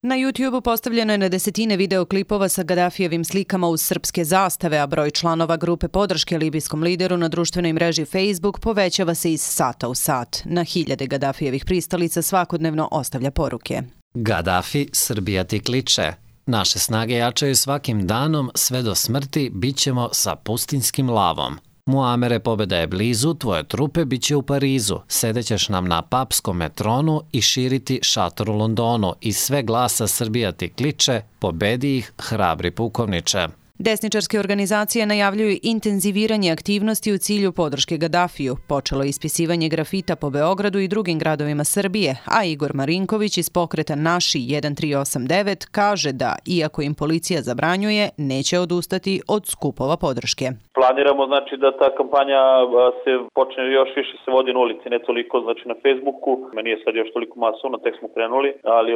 Na YouTube-u postavljeno je na desetine videoklipova sa Gadafijevim slikama uz srpske zastave, a broj članova grupe podrške libijskom lideru na društvenoj mreži Facebook povećava se iz sata u sat. Na hiljade Gadafijevih pristalica svakodnevno ostavlja poruke. Gadafi, Srbija ti kliče. Naše snage jačaju svakim danom, sve do smrti bit ćemo sa pustinskim lavom. Muamere, pobjeda je blizu, tvoje trupe bit će u Parizu, sedećeš nam na papskom tronu i širiti šator u Londonu i sve glasa Srbija ti kliče, pobedi ih, hrabri pukovniče. Desničarske organizacije najavljuju intenziviranje aktivnosti u cilju podrške Gadafiju. Počelo je ispisivanje grafita po Beogradu i drugim gradovima Srbije, a Igor Marinković iz pokreta Naši 1389 kaže da, iako im policija zabranjuje, neće odustati od skupova podrške. Planiramo da ta kampanja se počne još više se vodi na ulici, ne toliko na Facebooku. Nije sad još toliko masovno, tek smo krenuli, ali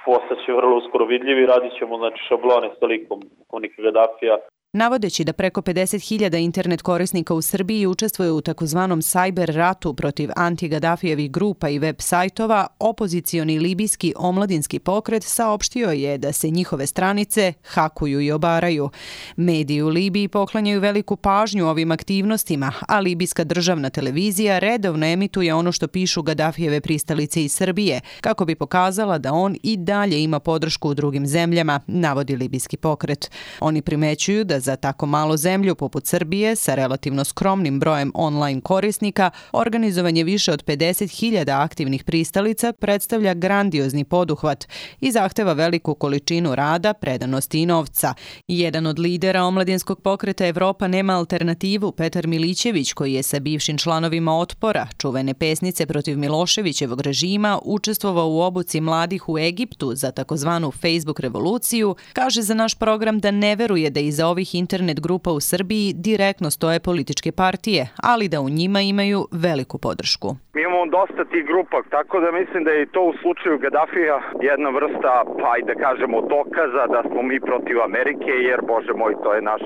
postaće vrlo uskoro vidljivi. Radit ćemo šablone sa likom pukovnika Gadafija. Navodeći da preko 50.000 internet korisnika u Srbiji učestvuje u takozvanom sajber ratu protiv anti-Gadafijevih grupa i web sajtova, opozicioni libijski omladinski pokret saopštio je da se njihove stranice hakuju i obaraju. Mediji u Libiji poklanjaju veliku pažnju ovim aktivnostima, a libijska državna televizija redovno emituje ono što pišu Gadafijeve pristalice iz Srbije, kako bi pokazala da on i dalje ima podršku u drugim zemljama, navodi libijski pokret. Oni primećuju da za tako malo zemlju poput Srbije sa relativno skromnim brojem online korisnika, organizovanje više od 50.000 aktivnih pristalica predstavlja grandiozni poduhvat i zahteva veliku količinu rada, predanosti i novca. Jedan od lidera omladinskog pokreta Evropa nema alternativu, Petar Milićević, koji je sa bivšim članovima Otpora, čuvene pesnice protiv Miloševićevog režima, učestvovao u obuci mladih u Egiptu za takozvanu Facebook revoluciju, kaže za naš program da ne veruje da iza ovih internet grupa u Srbiji direktno stoje političke partije, ali da u njima imaju veliku podršku. Mi imamo dosta tih grupa, tako da mislim da je to u slučaju Gadafija jedna vrsta, da kažemo, dokaza da smo mi protiv Amerike, jer, bože moj, to je naš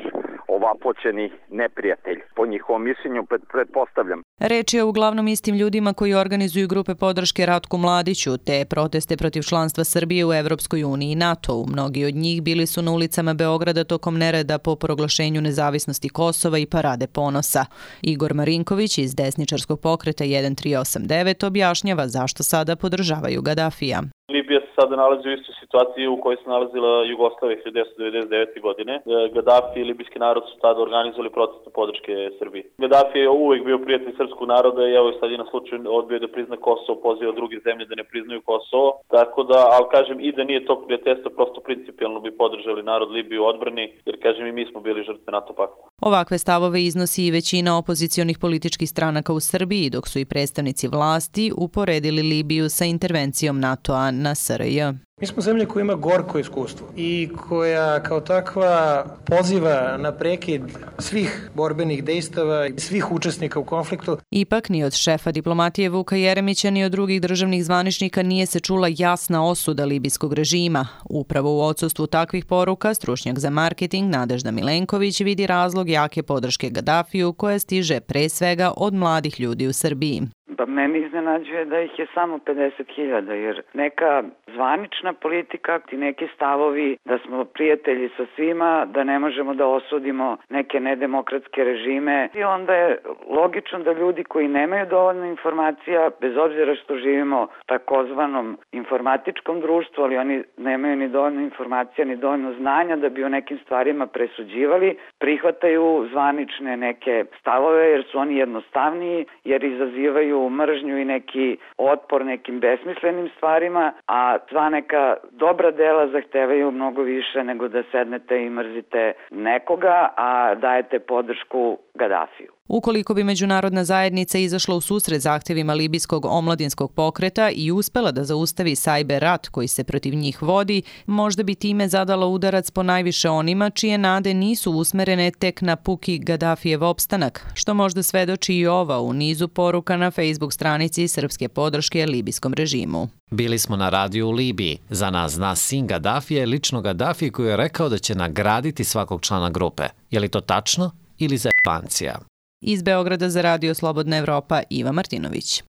ovapoćeni neprijatelj. Po njihovom mišljenju pretpostavljam. Reč je uglavnom istim ljudima koji organizuju grupe podrške Ratku Mladiću, te proteste protiv članstva Srbije u Evropskoj uniji i NATO-u. Mnogi od njih bili su na ulicama Beograda tokom nereda po proglašenju nezavisnosti Kosova i parade ponosa. Igor Marinković iz desničarskog pokreta 1389 objašnjava zašto sada podržavaju Gadafija. Libija se sada nalazi u istoj situaciji u kojoj se nalazila Jugoslavija 1999. godine. Gadafi i libijski narod su tada organizovali protest podrške Srbiji. Gadafi je uvijek bio prijatelj srpskog naroda i evo sad je na slučaju odbio da prizna Kosovo, poziva druge zemlje da ne priznaju Kosovo. Tako da, ali kažem, i da nije tog prijateljstva, prosto principijalno bi podržali narod Libiju u odbrani, jer kažem i mi smo bili žrtve NATO pakta. Ovakve stavove iznosi i većina opozicionih političkih stranaka u Srbiji, dok su i predstavnici vlasti uporedili Libiju sa intervencijom NATO-a na SRJ. Mi smo zemlja koja ima gorko iskustvo i koja kao takva poziva na prekid svih borbenih dejstava i svih učesnika u konfliktu. Ipak ni od šefa diplomatije Vuka Jeremića ni od drugih državnih zvaničnika nije se čula jasna osuda libijskog režima. Upravo u odsustvu takvih poruka stručnjak za marketing Nadežda Milenković vidi razlog jake podrške Gadafiju koja stiže pre svega od mladih ljudi u Srbiji. Meni iznenađuje da ih je samo 50.000, jer neka zvanična politika i neki stavovi da smo prijatelji sa svima, da ne možemo da osudimo neke nedemokratske režime i onda je logično da ljudi koji nemaju dovoljno informacija, bez obzira što živimo u takozvanom informatičkom društvu, ali oni nemaju ni dovoljno informacija, ni dovoljno znanja da bi o nekim stvarima presuđivali, prihvataju zvanične neke stavove jer su oni jednostavniji, jer izazivaju mržnju i neki otpor nekim besmislenim stvarima, a sva neka dobra dela zahtevaju mnogo više nego da sednete i mrzite nekoga, a dajete podršku Gadafiju. Ukoliko bi međunarodna zajednica izašla u susret zahtevima libijskog omladinskog pokreta i uspela da zaustavi sajber rat koji se protiv njih vodi, možda bi time zadala udarac po najviše onima čije nade nisu usmerene tek na puki Gadafijev opstanak, što možda svedoči i ova u nizu poruka na Facebook stranici srpske podrške libijskom režimu. Bili smo na radiju u Libiji. Za nas zna sin Gadafije, lično Gadafi koji je rekao da će nagraditi svakog člana grupe. Je li to tačno ili zajebancija? Iz Beograda za Radio Slobodna Evropa, Iva Martinović.